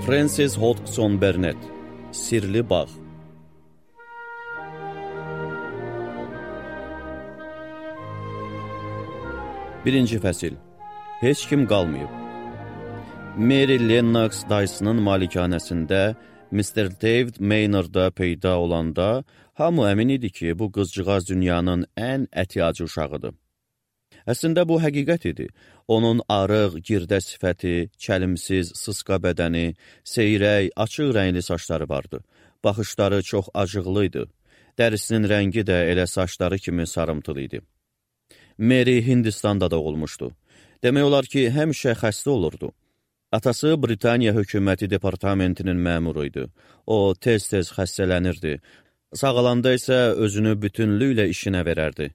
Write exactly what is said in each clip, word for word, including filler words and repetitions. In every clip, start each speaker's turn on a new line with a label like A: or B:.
A: Frances Hodgson Burnett, Sirli Bağ. Birinci fəsil. Heç kim qalmayıb. Mary Lennox dayısının malikanəsində mister David Maynard'a peyda olanda hamı əmin idi ki, bu qızcığaz dünyanın ən əti-acı uşağıdır. Əslində bu həqiqət idi. Onun arıq, girdə sifəti, çəlimsiz, sısqa bədəni, seyrək, açıq rəngli saçları vardı. Baxışları çox acıqlı idi. Dərisinin rəngi də elə saçları kimi sarımtılı idi. Mary Hindistanda doğulmuşdu. Demək olar ki, həmişə xəstə olurdu. Atası Britaniya hökuməti departamentinin məmuru idi. O, tez-tez xəstələnirdi. Sağalanda isə özünü bütünlüklə işinə verərdi.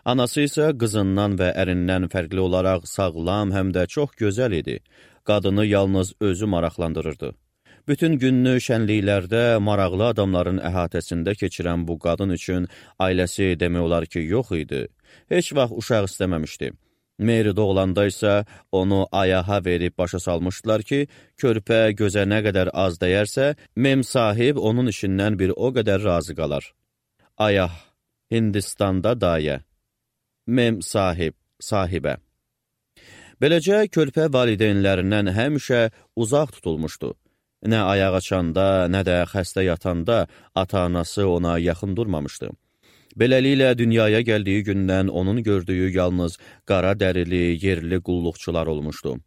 A: Anası isə qızından və ərindən fərqli olaraq sağlam, həm də çox gözəl idi. Qadını yalnız özü maraqlandırırdı. Bütün günlü şənliklərdə maraqlı adamların əhatəsində keçirən bu qadın üçün ailəsi demək olar ki, yox idi. Heç vaxt uşaq istəməmişdi. Mary doğulanda isə onu ayağa verib başa salmışdılar ki, körpə gözə nə qədər az dəyərsə, mem sahib onun işindən bir o qədər razı qalar. Ayah, Hindistanda dayə. Mem sahib, sahibə. Beləcə, körpə valideynlərindən həmişə uzaq tutulmuşdu. Nə ayaq açanda, nə də xəstə yatanda ata-anası ona yaxın durmamışdı. Beləliklə, dünyaya gəldiyi gündən onun gördüyü yalnız qara dərili, yerli qulluqçular olmuşdu.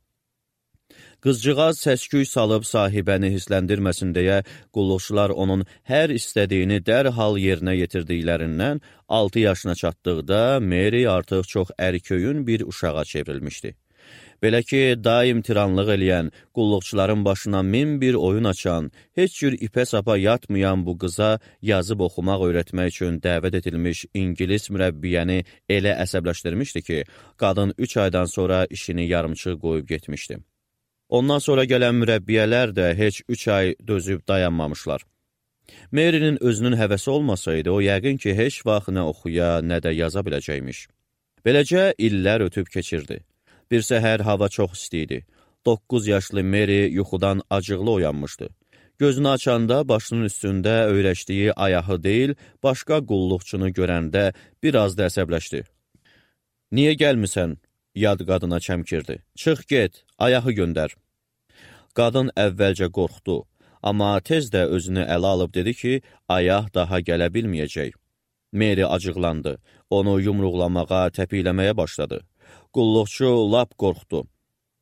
A: Qızcığaz səsküy salıb sahibəni hisləndirməsin deyə qulluqçular onun hər istədiyini dərhal yerinə yetirdiklərindən altı yaşına çatdıqda Mary artıq çox ərköyün bir uşağa çevrilmişdi. Belə ki, daim tiranlıq eləyən, qulluqçuların başına min bir oyun açan, heç cür ipə sapa yatmayan bu qıza yazıb oxumaq öyrətmək üçün dəvət edilmiş İngilis mürəbbiyəni elə əsəbləşdirmişdi ki, qadın üç aydan sonra işini yarımçıq qoyub getmişdi. Ondan sonra gələn mürəbbiyələr də heç üç ay dözüb dayanmamışlar. Mary'nin özünün həvəsi olmasaydı, o yəqin ki, heç vaxt nə oxuya, nə də yaza biləcəkmiş. Beləcə, illər ötüb keçirdi. Bir səhər hava çox isti idi. doqquz yaşlı Mary yuxudan acıqlı oyanmışdı. Gözünü açanda başının üstündə öyrəşdiyi ayağı deyil, başqa qulluqçunu görəndə biraz da əsəbləşdi. Niyə gəlmisən? Yad qadına çəmkirdi. Çıx get, ayağı göndər. Qadın əvvəlcə qorxdu, amma tez də özünü ələ alıb dedi ki, ayaq daha gələ bilməyəcək. Mary acıqlandı, onu yumruqlamağa, təpikləməyə başladı. Qulluqçu lap qorxdu.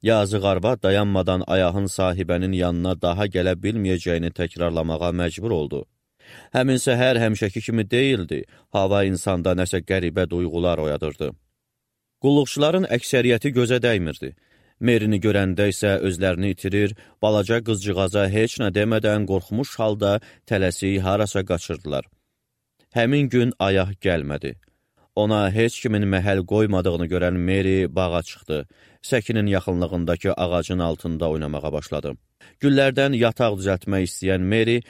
A: Yazıq arvad dayanmadan ayağın sahibənin yanına daha gələ bilməyəcəyini təkrarlamağa məcbur oldu. Həmin səhər həmişəki kimi deyildi, hava insanda nəsə qəribə duyğular oyadırdı. Qulluqçuların əksəriyyəti gözə dəymirdi. Mary'ni görəndə isə özlərini itirir, balaca qızcığaza heç nə demədən qorxmuş halda tələsik harasa qaçırdılar. Həmin gün ayaq gəlmədi. Ona heç kimin məhəl qoymadığını görən Mary bağa çıxdı. Səkinin yaxınlığındakı ağacın altında oynamağa başladı. Güllərdən yataq düzəltmək istəyən Mary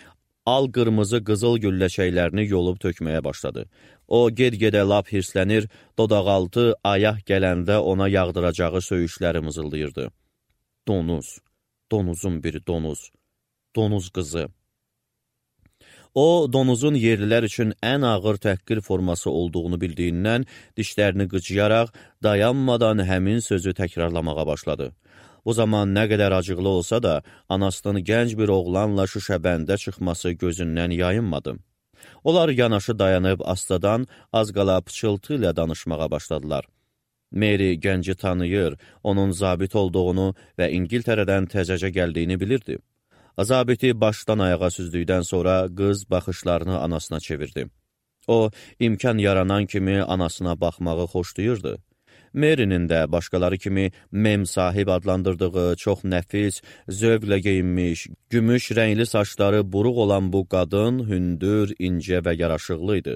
A: al-qırmızı qızıl gülləçəklərini yolub tökməyə başladı. O, ged-gedə lap hirslənir, dodaqaltı ayaq gələndə ona yağdıracağı söyüşləri mızıldayırdı. Donuz, donuzun bir donuz, donuz qızı. O, donuzun yerlilər üçün ən ağır təhqir forması olduğunu bildiyindən dişlərini qıcıyaraq dayanmadan həmin sözü təkrarlamağa başladı. Bu zaman nə qədər acıqlı olsa da, anasının gənc bir oğlanla şüşəbəndə çıxması gözündən yayınmadı. Onlar yanaşı dayanıb astadan az qala pıçıltı ilə danışmağa başladılar. Mary gənci tanıyır, onun zabit olduğunu və İngiltərədən təzəcə gəldiyini bilirdi. Zabiti başdan ayağa süzdükdən sonra qız baxışlarını anasına çevirdi. O, imkan yaranan kimi anasına baxmağı xoşlayırdı. Mary'nin də başqaları kimi mem sahib adlandırdığı çox nəfis, zövqlə geyinmiş, gümüş rəngli saçları buruq olan bu qadın hündür, incə və yaraşıqlı idi.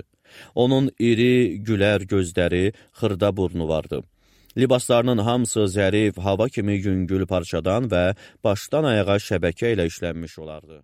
A: Onun iri, gülər gözləri, xırda burnu vardı. Libaslarının hamısı zərif, hava kimi yüngül parçadan və başdan ayağa şəbəkə ilə işlənmiş olardı.